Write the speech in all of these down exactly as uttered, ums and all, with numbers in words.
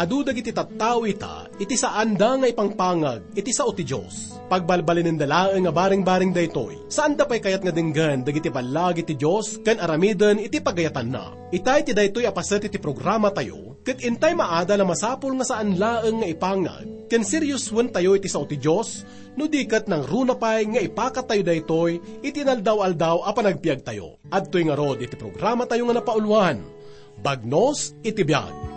Adu dagiti tattao ita iti saanda nga ipangpangag iti sao ti Dios. Pagbalbalinenda laeng a baring-baring daytoy. Saanda pay kayat nga denggen dagiti ballag iti Dios ken aramiden iti pagayatanna. Itay ti daytoy a paset iti programatayo, ket intay maadal a masapul nga saan laeng nga ipangag ken seriosoentayo iti sao ti Dios, no di ket nangruna pay nga ipakattayo daytoy iti inaldaw-aldaw a panagbiagtayo. Adtoy ngarud iti programatayo nga napauluan, Bagnos iti Biag.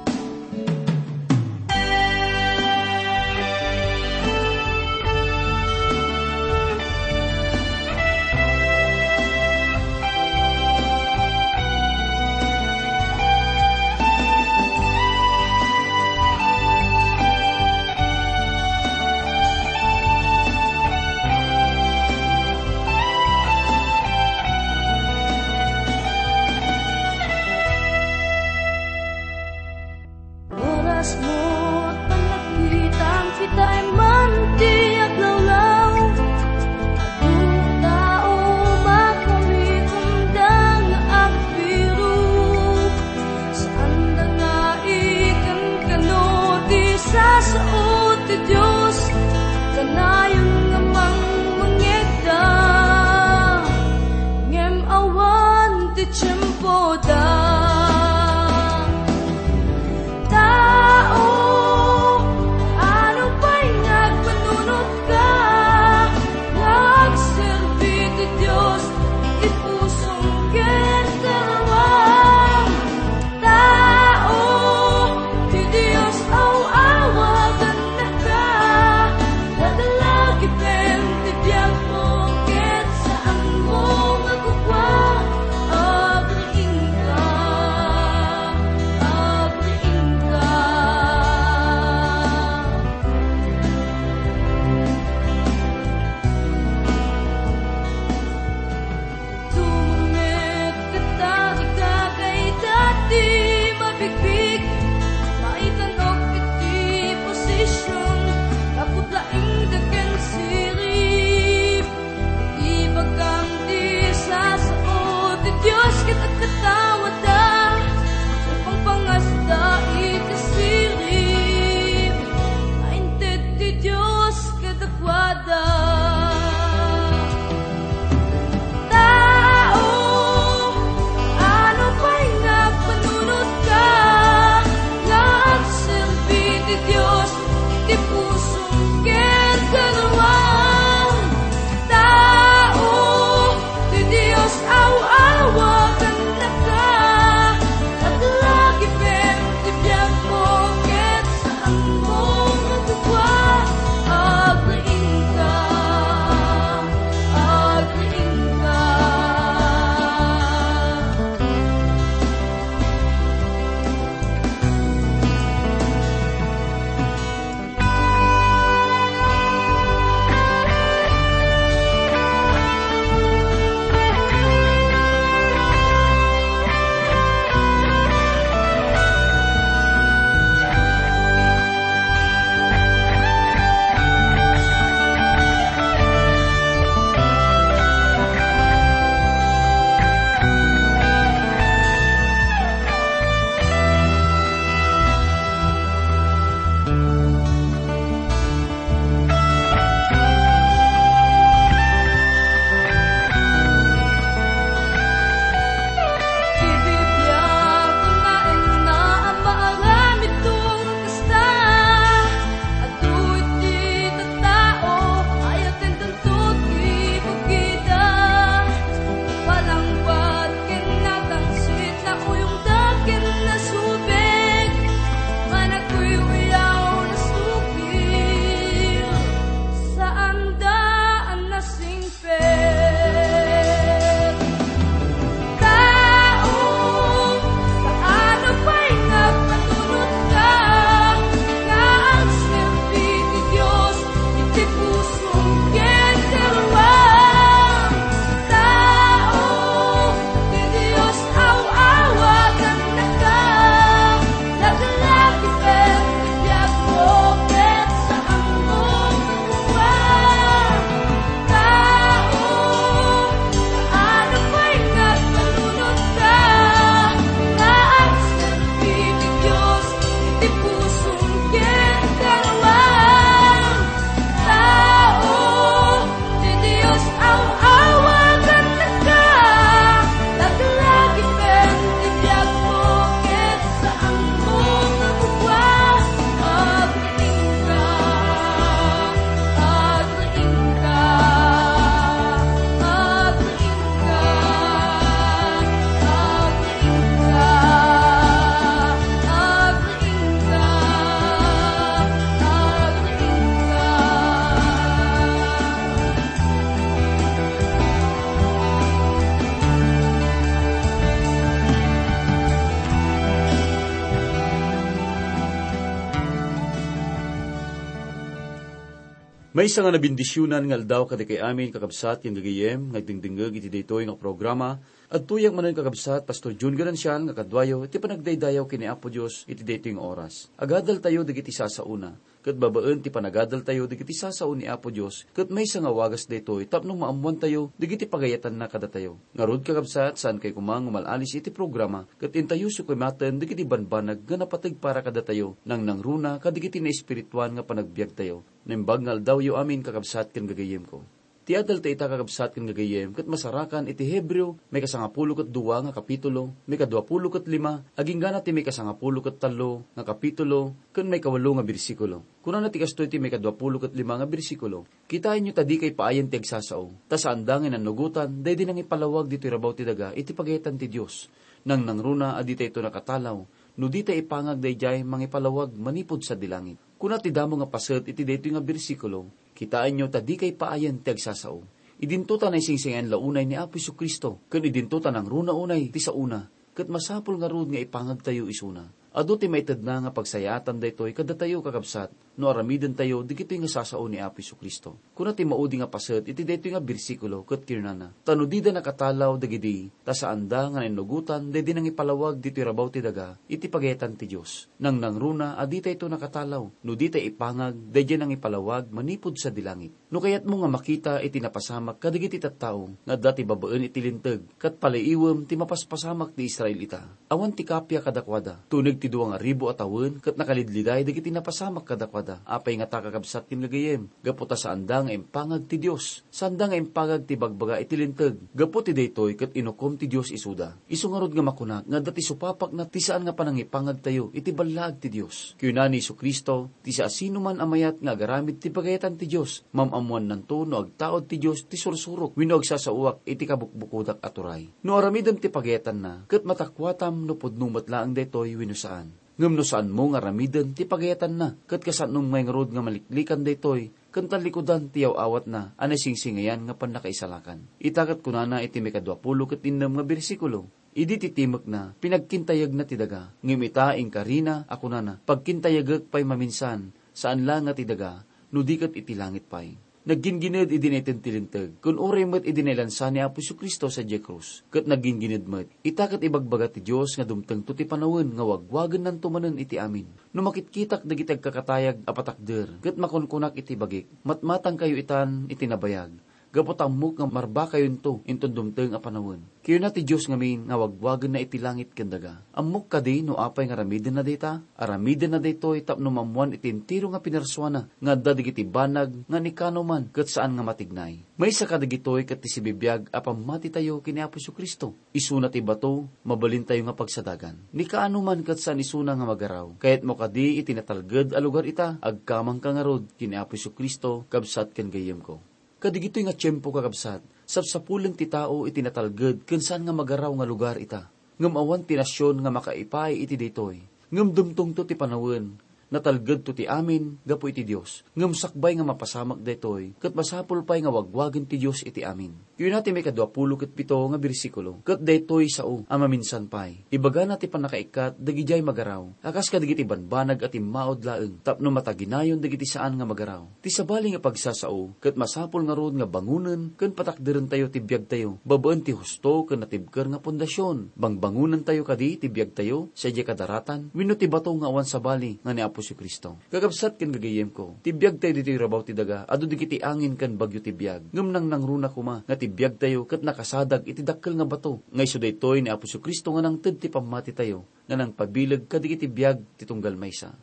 Maysa nga nabendisionan nga aldaw kadagiti amin, kakabsat ken gagayyem, nga agdengdengngeg iti daytoy nga programa. Adtoyak manen, kakabsat, Pastor Jun Ganancial, nga kaduayo iti panagdaydayaw ken ni Apo Dios iti daytoy nga oras. Agadaltayo dagiti sasaona, ket babaen ti panagadaltayo dagiti sasao ni Apo Dios, ket maysa nga wagas daytoy tapno maammoantayo dagiti pagayatanna kadatayo. Ngarud, kakabsat, saankayo koma nga umal-alis iti programa, ket intayoso koma manen dagiti banbanag nga napateg para kadatayo, nangnangruna kadagiti naespirituan nga panagbiagtayo. Naimbag nga aldawyo amin, kakabsat ken gagayyemko. Ti adal ta ita, kakabsat ken gagayyem, ket masarakan iti Hebreo, maikasangapulo ket dua nga kapitulo, maikaduapulo ket lima, agingga na ti maikasangapulo ket tallo nga kapitulo, ken maikawalo nga bersikulo. Kunana ti kastoy ti maikaduapulo ket lima nga bersikulo, "Kitaenyo ta dikay paayen ti agsasao, ta saanda nga inannugotan daydi nangipalawag ditoy rabaw ti daga iti pagayatan ti Dios. Nangnangruna a ditayto nakatalaw, no ditay ipangag daydiay mangipalawag manipud sadi langit." Kuna ti damo nga paset iti daytoy nga bersikulo, "Kitaenyo ta dikay paayen ti agsasao." Idinto ta naisingsingayat la unay ni Apo Jesu-Cristo, ken idinto ta nangruna unay ti saona, ket masapul ngarud nga ipangagtayo isuna. Adu ti maitedna nga pagsayaatan daytoy kadatayo, kakabsat, no aramidentayo dagitoy nga sasao ni Apo Jesu-Cristo. Kuna ti maudi nga paset iti daytoy nga bersikulo ket kinunana, "Ta no dida nakatalaw dagidi, ta saanda nga nainnugotan daydi nangipalawag ditoy rabaw ti daga iti pagayatan ti Dios. Nangnangruna a ditayto nakatalaw, no ditay ipangag daydiay nangipalawag manipud sadi langit." No kayatmo nga makita iti napasamak kadagiti tattao nga adda ti babaen iti Linteg, ket paliiwem ti mapaspasamak ti Israelita. Awan ti kappia kadakuada. Tuneg ti dua nga ribu a tawen ket nakalidliday dagiti napasamak kadakuada. Apay ngata, kakabsat ken gagayyem? Gapu ta saanda nga impangag ti Dios. Saanda nga impangag ti ibagbaga iti Linteg. Gapu ti daytoy ket inukom ti Dios isuda. Isu ngarud nga makunak nga adda ti supapakna ti saan nga panangipangagtayo iti ballaag ti Dios. Kinuna ni Jesu-Cristo, "Ti siasinoman a mayat nga agaramid ti pagayatan ti Dios, maam-ammoannanto no agtaud ti Dios ti sursurok wenno agsasaoak iti kabukbukodak a turay." No aramidem ti pagayatanna, ket matakuatam no pudno met laeng daytoy wenno saan. Ngem no saanmo nga aramiden ti pagayatanna, ket kasaanmo ngay ngarud nga maliklikan daytoy, ken tallikudan ti yaw-awatna a naisingsingayan nga pannakaisalakan. Ita ket kunana iti maikaduapulo ket innem nga bersikulo, "Idi ti timekna, pinagkintayegna ti daga. Ngem ita, inkarina a kunana, 'Pagkintayegek pay maminsan, saan la nga ti daga, no di ket iti langit pay.'" Naggingined idi naitedna ti Linteg, ken uray met idi nailansa ni Apo Jesu-Cristo sadiay krus, ket naggingined met. Ita ket ibagbaga ti Dios nga dumtengto ti panawen nga wagwagennanto manen iti amin. No makitkitak dagiti agkakatayag a patakder, ket makunkunak iti bagik, "Matmatangkayo itan iti nabayag, gapu ta ammok nga marbakayonto inton dumteng a panawen." Kinuna ti Dios ngamin nga wagwagenna iti langit ken daga. Ammok kadi no apay nga aramidenna dayta? Aramidenna daytoy tapno maammoan iti entero nga pinarsuana nga adda dagiti banag nga ni kaano man ket saan nga matignay. Maysa kadagitoy ket ti sibibiag a pammatitayo ken ni Apo Jesu-Cristo. Isuna ti bato, mabalintayo nga pagsadagan. Ni kaano man ket saan isuna nga magaraw. Kayatmo kadi iti natalged a lugar ita? Agkamangka ngarud ken ni Apo Jesu-Cristo, kabsat ken gayyemko. Kadagitoy nga tiempo, kakabsat, sapsapulen ti tao iti natalged ken saan nga magaraw nga lugar ita. Ngem awan ti nasion nga makaipaay iti daytoy. Ngem dumtengto ti panawen, natalgedto ti amin gapu iti Dios. Ngem sakbay nga mapasamak daytoy, ket masapul pay nga wagwagen ti Dios iti amin. Kuna ti maikaduapulo ket pito nga bersikulo, ket daytoy sao a maminsan pay. Ibagana ti pannakaikkat dagidiay magaraw, a kas kadagiti banbanag a timmaud laeng, tapno mataginayon dagiti saan nga magaraw. Ti sabali nga pagsasao, ket masapul ngarud nga bangonen ken patakderentayo ti biagtayo, babaen ti husto ken natibker nga pundasion. Bangbangonentayo kadi ti biagtayo sadiay kadaratan wenno ti bato nga awan sabali nga ni Apo Jesu-Cristo? Kakabsat ken gagayyemko, ti biagtayo ditoy rabaw ti daga, adu dagiti angin ken bagyo ti biag. Ngem nangnangruna koma nga ti biagtayo ket nakasadag iti dakkel nga bato, nga isu daytoy ni Apo Jesu-Cristo nga nangted ti pammatitayo, nga nangpabileg kadagiti biag ti tunggal maysa.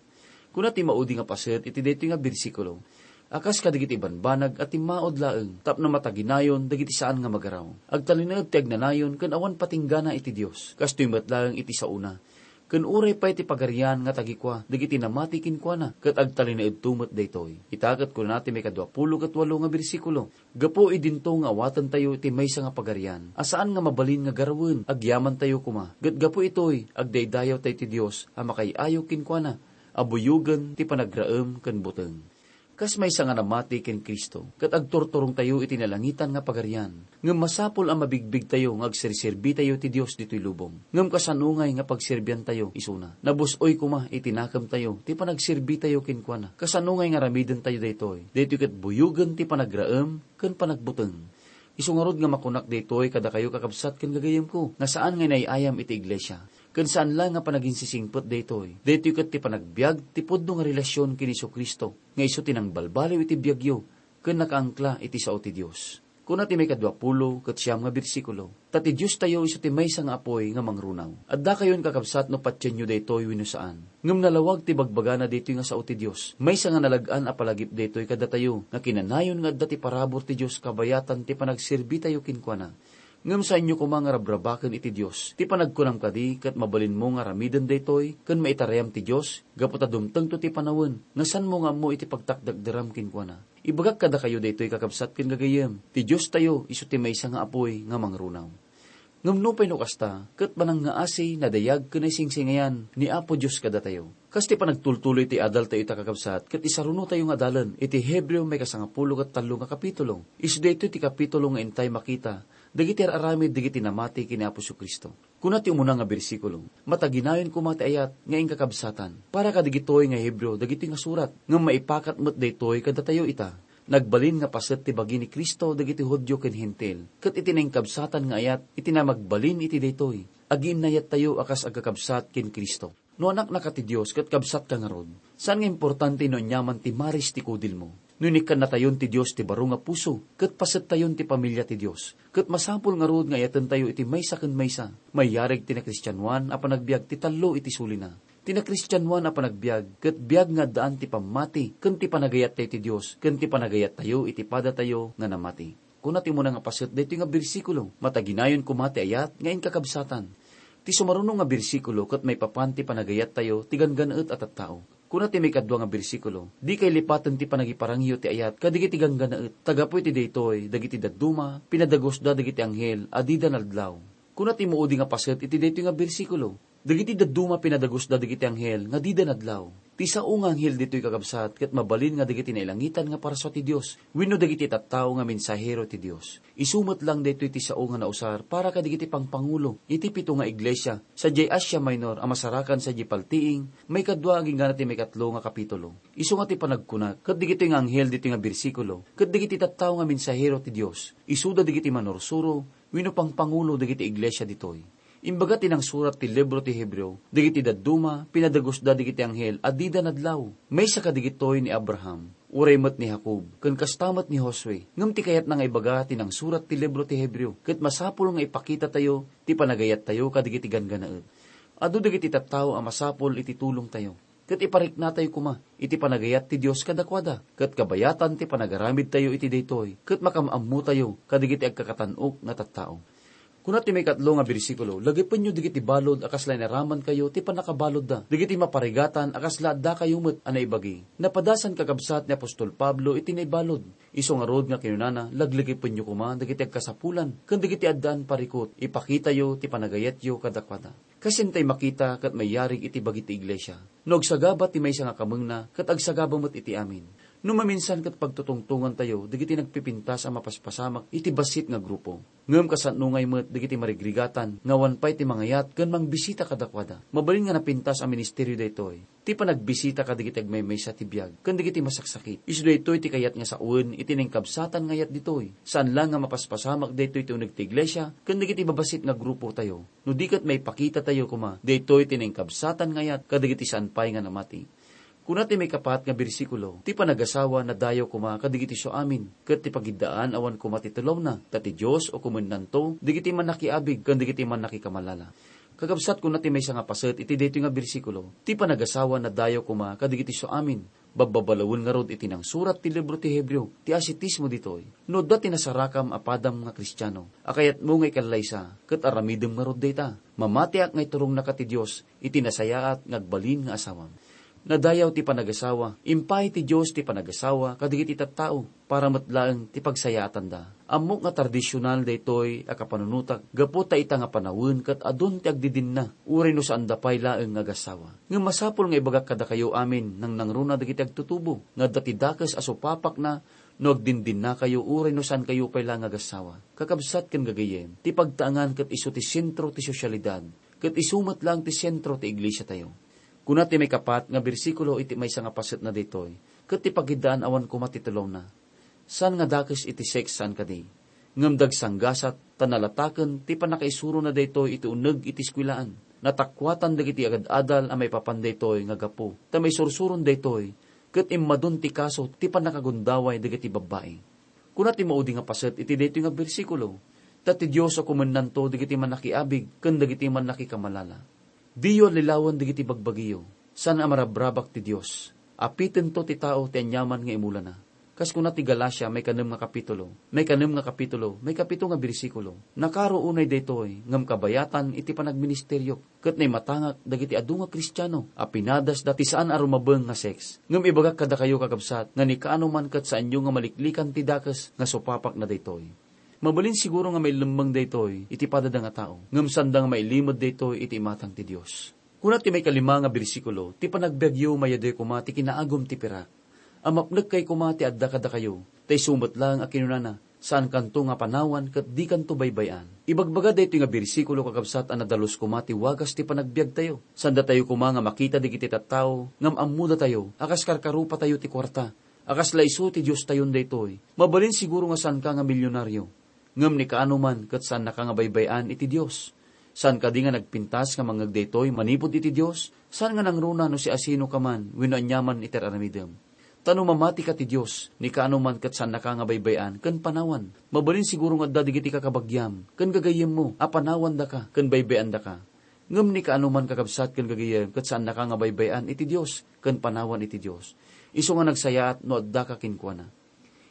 Kuna ti maudi nga paset iti daytoy nga bersikulo, a kas kadagiti banbanag a timmaud laeng tapno mataginayon dagiti saan nga magaraw. Agtalinaed ti agnanayon ken awan patinggana iti Dios. Kastoy met laeng iti saona. Ken uray pay ti Pagarian nga tagikua dagiti namati kenkuana, ket agtalinaedto met daytoy. Ita ket kuna ti maikaduapulo ket walo nga bersikulo, Gapu idinto nga awatentayo iti maysa nga pagarian a saan nga mabalin nga garawen, agyamantayo koma. Ket gapu itoy, agdaydayawtayo ti Dios a makaay-ayo kenkuana, a buyogen ti panagraem ken buteng. Kas maysa nga namati ken Cristo, ket agturturongtayo iti nalangitan nga pagarian. Ngem masapul a mabigbigtayo nga agserserbitayo ti Dios ditoy lubong. Ngem kasano ngay nga pagserbiantayo isuna? Nabus-oy koma iti nakemtayo ti panagserbitayo kenkuana. Kasano ngay nga aramidentayo daytoy? Daytoy ket buyogen ti panagraem ken panagbuteng. Isu ngarud nga makunak daytoy kadakayo, kakabsat ken gagayemko, nga saan nga inay-ayam iti iglesia, ken saan la nga panaginsisingpet daytoy. Daytoy ket ti panagbiag ti pudno nga relasion ken Jesu-Cristo, nga isu ti nangbalbaliw iti biagyo ken nakaangkla iti sao ti Dios. Kuna ti maikadua pulo ket siam nga bersikulo, "Ta ti Diostayo isu ti maysa nga apuy nga mangrunaw." Addakayon, kakabsat, no patienyo daytoy wenno saan. Ngem nalawag ti bagbagana daytoy nga sao ti Dios. Maysa nga nalag-an a palagip daytoy kadatayo nga kinanayon nga adda ti parabur ti Dios kabayatan ti panagserbitayo kenkuana. Ngem saanyo koma nga rabrabaken iti Dios. Ti panagkunam kadi ket mabalinmo nga aramiden daytoy ken maitarayam ti Dios gapu ta dumtengto ti panawen nga saanmo nga ammo iti pagtakdakderam kenkuana. Ibagak kadakayo daytoy, kakabsat ken gagayem, ti Diostayo isu ti maysa nga apuy nga mangrunaw. Ngem nupay no kasta, ket manangngaasi, nadayag ken naisingsingyan ni Apo Dios kadatayo. Kas ti panagtultuloy ti adaltayo ita, kakabsat, ket isarunotayo nga adalen iti Hebreo maikasangapulo ket tallo nga kapitulo. Isu daytoy ti kapitulo nga intay makita dagiti ar-aramid dagiti namati ken ni Apo Jesu-Cristo. Kuna ti umuna nga bersikulo, "Mataginayon koma ti ayat nga inkakabsatan." Para kadigitoy nga Hebreo dagitoy nga surat, ngem maipakat met daytoy kadatayo ita. Nagbalin nga paset ti bagi ni Cristo dagiti Judio ken Hentil, ket iti nainkabsatan nga ayat iti namagbalin iti daytoy, agiinnayattayo a kas agkakabsat ken Cristo. No anaknaka ti Dios ket kabsatka ngarud, saan nga importante no aniaman ti maris ti kudilmo. No inikkannatayon ti Dios ti baro nga puso, ket pasettayon ti pamilia ti Dios, ket masapul ngarud nga ayatentayo iti maysa ken maysa. Mayarig ti nakristianoan a panagbiag ti tallo iti sulina. Ti nakristianoan a panagbiag ket biag nga addaan ti pammati ken ti panagayattayo ti Dios ken ti panagayattayo iti padatayo nga namati. Kuna ti umuna nga paset daytoy nga bersikulo, "Mataginayon koma ti ayat nga inkakabsatan." Ti sumaruno nga bersikulo ket maipapan ti panagayattayo ti ganggannaet a tattao. Kuna ti maikadua nga bersikulo, "Dikay lipaten ti panangiparangyo ti ayat kadagiti ganggannaet, ta gapu iti daytoy, dagiti dadduma, pinadagusda dagiti anghel a dida nadlaw." Kuna ti maudi nga paset iti daytoy nga bersikulo, "Dagiti dadduma pinadagusda dagiti anghel nga dida nadlaw." Ti sao nga anghel ditoy, kakabsat, ket mabalin nga dagiti nailangitan nga parasua ti Dios wenno dagiti tattao nga mensahero ti Dios. Isu met lang daytoy ti sao nga nausar para kadagiti pangpangulo iti pito nga iglesia sadiay Asia Minor a masarakan sadiay paltiing maikadua agingga ti maikatlo nga kapitulo. Isu nga ti panagkuna, ket dagitoy nga anghel ditoy nga bersikulo ket dagiti tattao nga mensahero ti Dios. Isuda dagiti manursuro wenno pangpangulo dagiti iglesia ditoy. Imbaga ti nangsurat ti libro ti Hebreo, dagiti dadduma, pinadagusda dagiti anghel a dida nadlaw. Maysa kadagitoy ni Abraham, uray met ni Jacob, ken kasta met ni Josue. Ngem ti kayatna nga ibaga ti nangsurat ti libro ti Hebreo, ket masapul nga ipakitatayo ti panagayattayo kadagiti ganggannaet. Adu dagiti tattao a masapul iti tulongtayo. Ket ipariknatayo koma iti panagayat ti Dios kadakuada, ket kabayatan ti panagaramidtayo iti daytoy, ket makaam-ammotayo kadagiti agkakatan-ok nga tattao. Kuna ti maikatlo nga bersikulo, "Lagipenyo dagiti balud a kasla inaramankayo ti pannakabaludda, dagiti maparigatan a kasla addakayo met a naibagi." Napadasan, kakabsat, ni apostol Pablo iti naibalud. Isu ngarud nga kinunana, "Laglagipenyo koma dagiti agkasapulan ken dagiti addaan parikut, ipakitayo ti panagayatyo kadakuada." Kas intay makita ket mayarig iti bagi ti iglesia, no agsagaba ti maysa nga kamengna ket agsagaba met iti amin. No maminsan ket pagtutungtongantayo dagiti nagpipintas a mapaspasamak iti bassit nga grupo. Ngem kasano ngay met dagiti marigrigatan nga awan pay ti mangayat ken mangbisita kadakuada? Mabalin nga napintas a ministerio daytoy. Ti panagbisita kadagiti agmaymaysa ti biag ken dagiti masaksakit. Isu daytoy ti kayat nga sawen iti nainkabsatan nga ayat ditoy. Saan la nga mapaspasamak daytoy ti uneg ti iglesia ken dagiti babassit nga grupotayo. No di ket maipakitatayo koma daytoy ti nainkabsatan nga ayat kadagiti saan pay nga namati. Kuna ti maikapat nga bersikulo, "Ti panagasawa nadayaw koma kadagiti isu amin, ket ti pagiddaan awan koma ti tulawna, ta ti Dios ukomennanto dagiti mannakiabig ken dagiti mannakikamalala." Kakabsat, kuna ti maysa nga paset iti daytoy nga bersikulo, "Ti panagasawa nadayaw koma kadagiti isu amin." Babbabalawen ngarud iti nangsurat ti libro ti Hebreo ti asitismo ditoy. No adda ti nasarakam a padam nga Kristiano a kayatmo nga ikallaysa, ket aramidem ngarud dayta. Mamatiak nga iturongna ka ti Dios iti nasayaat nga agbalin nga asawam. Nadayaw ti panagasawa. Impay ti Dios ti panagasawa kadagiti tattao para met laeng ti pagsayaatanda. Ammok nga tradisional daytoy a kapanunotak gapu ta ita nga panawen ket adun ti agdidinna, uray no saanda pay laeng nga agassawa. Ngem masapul nga ibagak kadakayo amin, nangnangruna dagiti agtutubo, nga adda ti dakes a supapakna no agdindinnakayo uray no saankayo pay laeng nga agassawa. Kakabsat ken gagayyem, ti pagtaengan ket isu ti sentro ti sosyalidad, ket isu met laeng ti sentro ti iglesiatayo. Kuna ti maikapat nga bersikulo iti maysa nga pasetna daytoy, ket ti pakiddaan awan koma ti tulawna. Saan nga dakes iti sex saan kadi. Ngem dagsanggasat ta nalataken ti pannakaisurona daytoy iti uneg iti eskuelaan. Natakuatan dagiti agad-adal a maipapan daytoy nga gapu ta maisursuron daytoy, ket immadun ti kaso ti pannakagundaway dagiti babbai. Kuna ti maudi nga paset iti daytoy nga bersikulo, ta ti Dios a kumennanto dagiti mannakiabig ken dagiti mannakikamalala. Diyo allilawen dagiti bagbagiyo. Saan a marabrabak ti Dios. Apitento ti tao ti aniaman nga imulana. Kas kuna ti Galacia, maikanem nga kapitulo, maikanem nga kapitulo, maikapito nga bersikulo, "Nakaro unay daytoy, ngem kabayatan iti panagministeriok, ket naimatangak dagiti adu nga Kristiano a pinadasda ti saan a rumabeng nga sex. Ngem ibagak kadakayo, kakabsat, nga ni kaano man ket saanyo nga maliklikan ti dakes nga supapakna daytoy." Mabalin siguro nga mailemmeng daytoy iti padada nga tao, ngem saanda nga mailimed daytoy iti imatang ti Dios. Kuna ti maikalima nga bersikulo, "Ti panagbiagyo mayadyo koma ti kinaagum ti pirak. Amapnekkay koma ti adda kadakayo, ta isu met laeng a kinunana, 'Saankanto nga panawan ket dikanto baybay-an.'" Ibagbaga daytoy nga bersikulo, kakabsat, a nadalus koma ti wagas ti panagbiagtayo. Saandatayo koma nga makita dagiti tattao, ngem ammodatayo a kas karkarupatayo ti kuarta, a kasla isu ti diostayon daytoy. Mabalin siguro nga saanka nga milionario, ngem ni kaano man ket saannaka nga baybay-an iti Dios. Saan kadi nga nagpintas nga mangngeg daytoy manipud iti Dios? Saan nga nangruna no siasinoka man wenno aniaman iti ar-aramidem. Ta no mamatika ti Dios, ni kaano man ket saannaka nga baybay-an ken panawan. Mabalin siguro nga adda dagiti kakabagiam ken gagayyemmo a panawandaka ken baybay-andaka. Ngem ni kaano man, kakabsat ken gagayyem, ket saannaka nga baybay-an iti Dios ken panawan iti Dios. Isu nga nagsayaat no addaka kenkuana.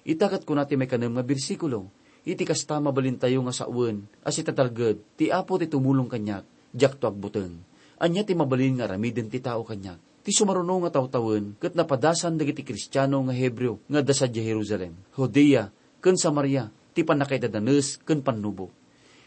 Ita ket kuna ti maikanem nga bersikulo, "Iti kasta, mabalintayo nga sawen a sitatalged, 'Ti Apo ti tumulong kaniak, diakto agbuteng.' Ania ti mabalin nga aramiden ti tao kaniak? Ti sumaruno nga tawtawen ket napadasan dagiti Kristiano nga Hebreo nga adda sadiay Jerusalem, Judea, ken Samaria ti pannakaidadanes ken pannubok."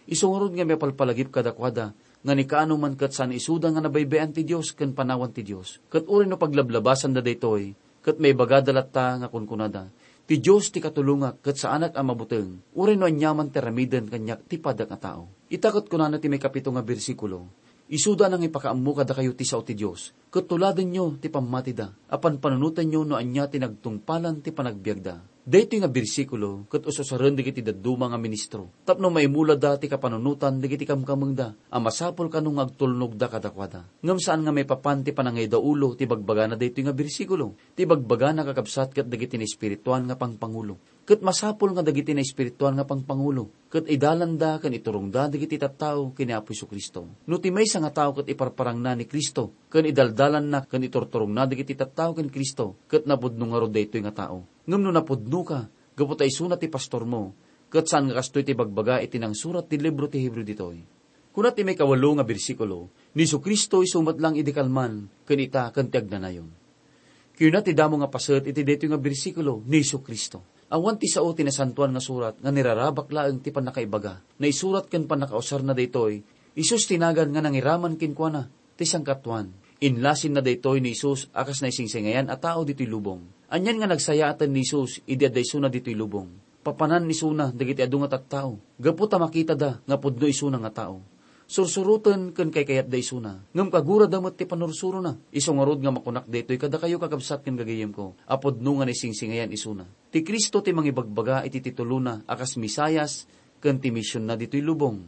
Isu ngarud nga maipalpalagip kadakuada nga ni kaano man ket saan isuda nga nabaybay-an ti Dios ken panawan ti Dios. Ket uray no paglablabasanda daytoy, ket maibagada latta nga kunkunada, "Ti Dios ti katulongak ket saanak a mabuteng, uray no aniaman ti aramiden kaniak ti padak nga tao." Ita ket kunana ti maikapito nga bersikulo, "Isuda a nangipakaammo kadakayo ti sao ti Dios, ket tuladenyo ti pammatida, a panpanunotenyo no ania ti nagtungpalan ti panagbiagda." Daytoy nga bersikulo ket ususaren dagiti dadduma nga ministro tapno maimulada ti kapanunotan dagiti kamkamengda a masapul kano nga agtulnogda kadakuada. Ngem saan nga maipapan ti panangaydaulo ti bagbagana daytoy nga bersikulo. Ti bagbagana, kakabsat, ket dagiti naespirituan nga pangpangulo. Ket masapul nga dagiti naespirituan nga pangpangulo ket idalanda ken iturongda dagiti tattao ken ni Apo Jesu-Cristo. No ti maysa nga tao ket iparparangna ni Cristo ken idaldalanna ken iturturongna dagiti tattao ken Cristo, ket napudno ngarud daytoy nga tao. Ngem no napudnoka gapu ta isuna ti pastormo, ket saan nga kastoy ti bagbaga iti nangsurat ti libro ti Hebreo ditoy. Kuna ti maikawalo nga bersikulo, "Ni Jesu-Cristo isu met laeng idi kalman, ken ita, ken ti agnanayon." Kuna ti damo nga paset iti daytoy nga bersikulo, "Ni Jesu-Cristo." Awan ti sao ti Nasantoan nga Surat nga nirarabak laeng ti pannakaibaga. Naisurat ken pannakausarna daytoy, Jesus ti nagan nga nangiraman kenkuana ti sangkatuan. Inlasinna daytoy ni Jesus a kas naisingsingayan a tao ditoy lubong. Anian nga nagsayaaten ni Jesus idi adda isuna ditoy lubong? Papanan isuna dagiti adu nga tattao gapu ta makitada nga pudno isuna nga tao. Sursuroten ken kaykayatda isuna, ngem kagurada met ti pannursurona. Isu ngarud nga makunak daytoy kadakayo, kakabsat ken gagayyemko, a pudno nga naisingsingayan isuna. Ti Cristo ti mangibagbaga iti titulona a kas Mesias ken ti misionna ditoy lubong.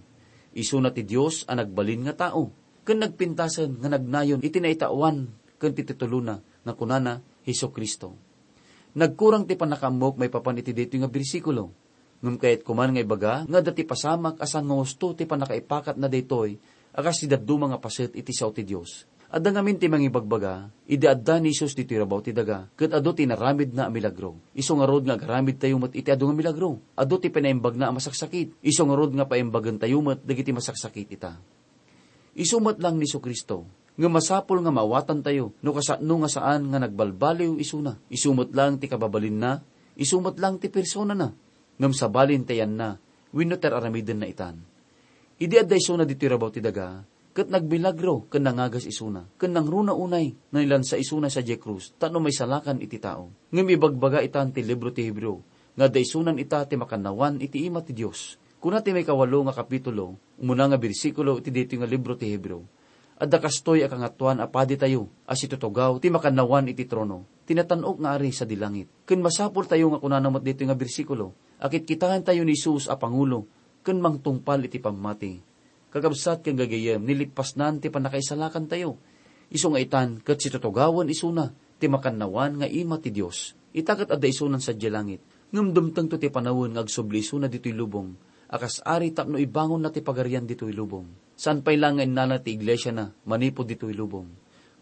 Isuna ti Dios a nagbalin nga tao ken nagpintasen nga nagnayon iti naitaoan ken ti titulona nga kunana, Jesu-Cristo. Nagkurang ti pannakaammok maipapan iti daytoy nga bersikulo. Ngem kayatko man nga ibaga nga adda ti pasamak a saan nga husto ti pannakaipakatna daytoy a kas ti dadduma nga paset iti sao ti Dios. Adda ngamin ti mangibagbaga, idi adda ni Jesus ditoy rabaw ti daga, ket adu ti inaramidna a milagro. Isu ngarud nga agaramidtayo met iti adu nga milagro. Adu ti pinaimbagna a masaksakit. Isu ngarud nga paimbagentayo met dagiti masaksakit ita. Isu met laeng ni Jesu-Cristo, Ngem masapul nga maawatantayo no kasano nga saan nga nagbalbaliw isuna. Isu met laeng ti kababalinna, isu met laeng ti personana, ngem sabalin ti ayanna wenno ti ar-aramidenna itan. Idi adda isuna ditoy rabaw ti daga, ket nagmilagro ken nangagas isuna, ken nangruna unay nga nilansa isuna sadiay krus tapno maisalakan iti tao. Ngem ibagbaga itan ti libro ti Hebreo nga adda isunan ita ti makannawan iti ima ti Dios. Kuna ti maikawalo nga kapitulo, umuna nga bersikulo iti daytoy nga libro ti Hebreo, "Adda kastoy a Kangatoan a Paditayo a situtugaw ti makannawan iti trono ti natan-ok nga Ari sadi langit." Ken masapultayo nga kunana met daytoy nga bersikulo a kitkitaentayo ni Jesus a pangulo ken mangtungpal iti pammati. Kakabsat ken gagayyem, nilippasnan ti pannakaisalakantayo. Isu nga itan ket situtugawen isuna ti makannawan nga ima ti Dios. Ita ket adda isunan sadiay langit, ngem dumtengto ti panawen nga agsubli isuna ditoy lubong a kas ari tapno ibangonna ti pagarian ditoy lubong. Saan pay laeng nga innala ti iglesiana manipud ditoy lubong.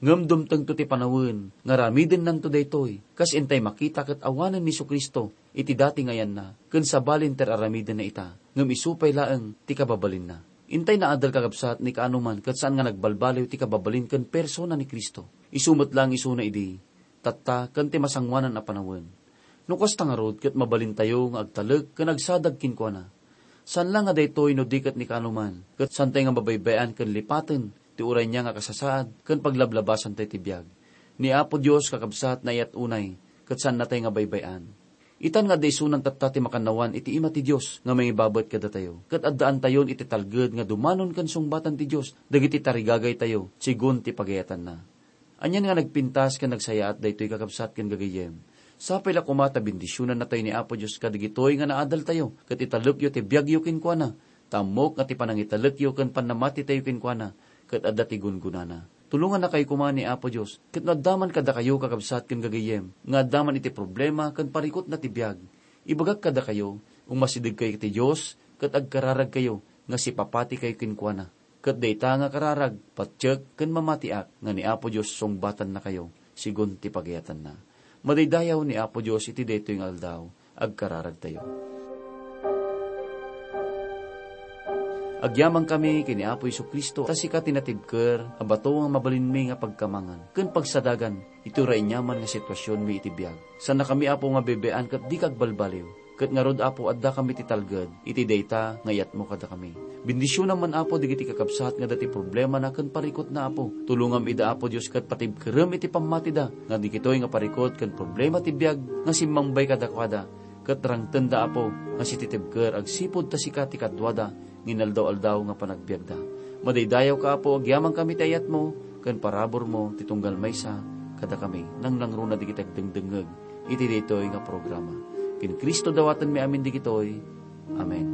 Ngem dumtengto ti panawen nga aramidennanto daytoy, kas intay makita ket awanen ni Jesu-Cristo iti dati nga ayanna, ken sabalin ti ar-aramidenna ita, ngem isu pay laeng ti kababalinna. Intay naadal, kakabsat, ni kaanoman ket saan nga nagbalbaliw ti kababalin ken persona ni Cristo. Isu met laeng isuna idi, tatta, ken ti masangoanan a panawen. No kasta ngarud, ket mabalintayo nga agtalek ken agsadag kenkuana. Saan la nga daytoy no di ket ni kaanoman, ket saantay nga mabaybay-an ken lipaten ti uray nia nga kasasaad ken paglablabasantayo ti biag. Ni Apo Dios, kakabsat, naayat unay, ket saannatay nga baybay-an. Itan nga adda isunan tatta ti makannawan iti ima ti Dios nga mangibabet kadatayo, ket addaantayon iti talged nga dumanon ken sungbatan ti Dios dagiti tarigagaytayo, sigun ti pagayatanna. Anian nga nagpintas ken nagsayaat daytoy, kakabsat ken gagayyem. Sapay la koma ta bendisionannatayo ni Apo Dios kadagitoy nga naadaltayo, ket italekyo ti biagyo kenkuana, ta ammok nga ti panangitalekyo ken pannamatitayo kenkuana, ket adda ti gungunana. Tulongannakayo koma ni Apo Dios, ket no adda man kadakayo, kakabsat ken gagayyem, nga adda man iti problema ken parikutna ti biag, ibagak kadakayo, umasidegkayo iti Dios, ket agkararagkayo nga sipapatikayo kenkuana. Ket dayta nga kararag, patiek ken mamatiak nga ni Apo Dios sungbatannakayo, sigun ti pagayatanna. Madaydayaw ni Apo Dios iti daytoy nga aldaw, agkararagtayo. Agyamankami ken ni Apo Jesu-Cristo, ta sika ti natibker a bato nga mabalinmi nga pagkamangan ken pagsadagan iti uray aniaman nga situasionmi iti biag. Saannakami, Apo, nga baybay-an ket dika agbalbaliw. Ket ngarud, Apo, addakami ti talged iti dayta nga iyatmo kadakami. Bendisionam man, Apo, dagiti kakabsat nga adda ti problemana ken parikutna, Apo. Tulongam ida, Apo Dios, ket patibkerem iti pammatida nga dagitoy nga parikut ken problema ti biag nga simmambay kadakuada, ket rangtenda, Apo, nga sititibker agsipud ta sika ti kaduada nga inaldaw-aldaw nga panagbiagda. Madaydayawka, Apo, agyamankami ti ayatmo ken paraburmo ti tunggal maysa kadakami, nangnangruna dagiti agdengdengngeg iti daytoy nga programa. Ken Cristo dawatenmi amin dagitoy. Amen.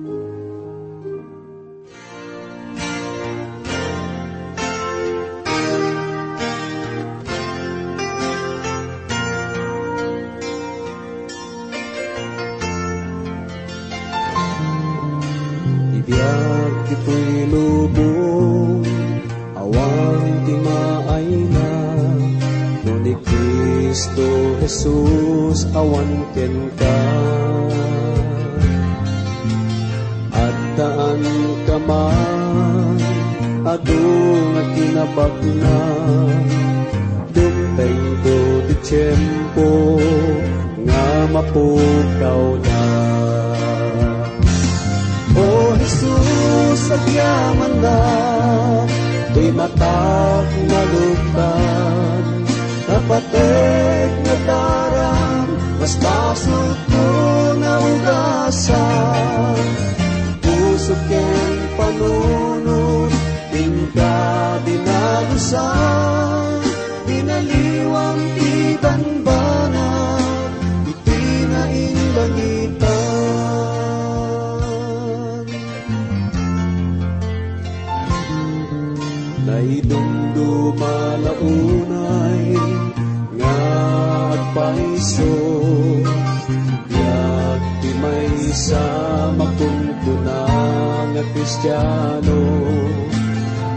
Ti biag ditoy lubong, awan ti maayna, no ni Cristo Jesus awan kenka. Addaanka man, adu nga kinabaknang, dumtengto ti tiempo nga mapukawda. O Jesus, agyamannak, ti matak maluktan, napatek nataram, mas basolko naugasan. Puso ken panunot, inka dinalusan, dinaliwam ti banbanag iti nainlangitan. Naidumduma la unay nga agpaiso, biag ti maysa makunkuna nga Kristiano.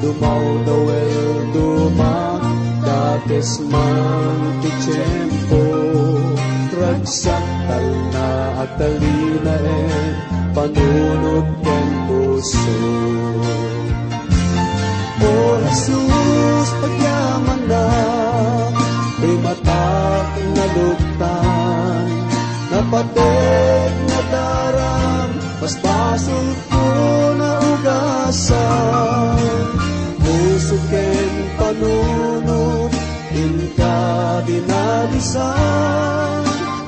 Dumawdaw el dumakdakes man ti tiempo, ragsak talna agtalinaen, panunot ken puso. O Jesus, agya luktan. Napateg nga daram, basbasolko naugasan. Puso ken panunot, inka dinalusan.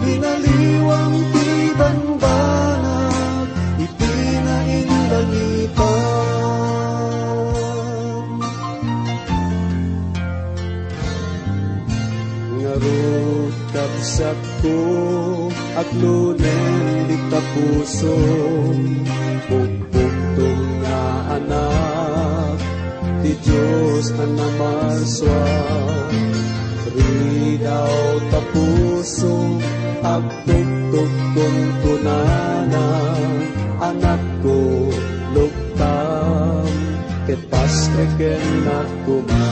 Binaliwam ti banbanag, iti nainlangitan. Ngarud, kabsatko, aglunen dita puso, pukpukto nga anak ti Dios a namasua. Ridaw ta puso, agtuktok kunkunana, anakko, luktam, ket pastreken koma.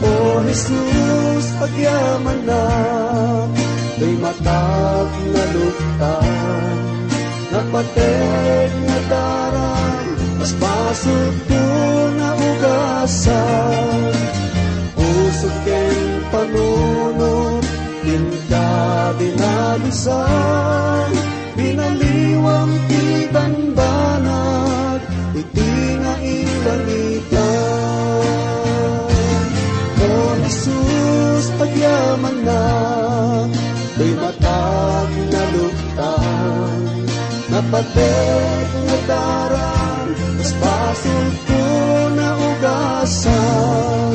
O Jesus, agyamanak, toy matak nga luktan, napateg nga daram, basbasolko naugasan. Puso ken panunot, inka dinalusan. Binaliwam ti banbanag, iti nainlangitan. O Jesus, agyamanak, toy matak nga luktan, napateg nga daram, basbasolko naugasan.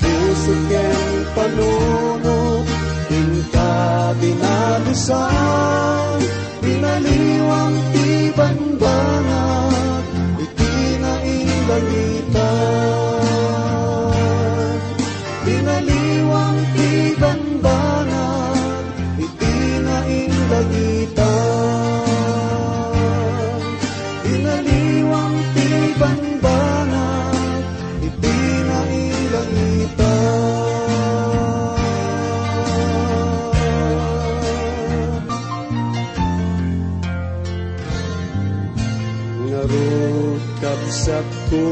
Puso ken panunot, inka dinalusan. Binaliwam ti banbanag, iti nainlangitan. Binaliwam ti banbanag, iti nainlangitan. Binaliwam ti banbanag, iti nainlangitan. Ngarud, kabsatko,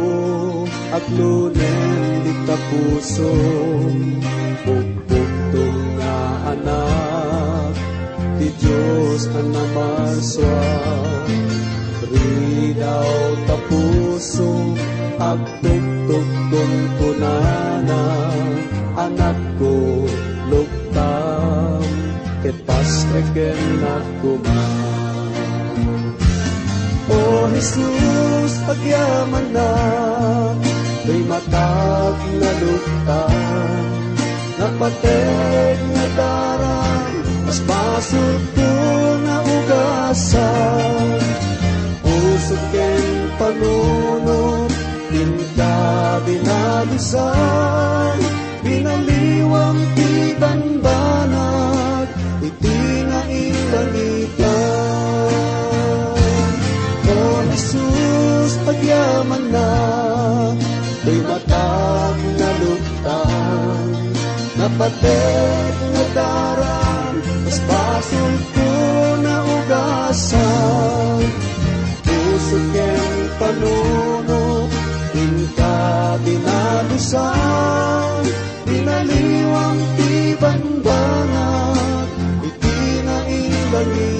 aglunen dita puso, pukpukto nga anak ti Dios a namasua. Ridaw ta puso, agtuktok kunkunana, anakko, luktam, ket pastreken koma. O Jesus, agyamanak, toy matak nga luktan, napateg nga daram, basbasolko naugasan. Puso ken panunot, inka dinalusan. Binaliwam ti banbanag, iti nainlangitan. O Jesus, agyamanak, toy matak nga luktan, napateg nga daram, basbasolko naugasan. Puso ken panunot, inka dinalusan. Binaliwam ti banbanag, iti nainlangitan.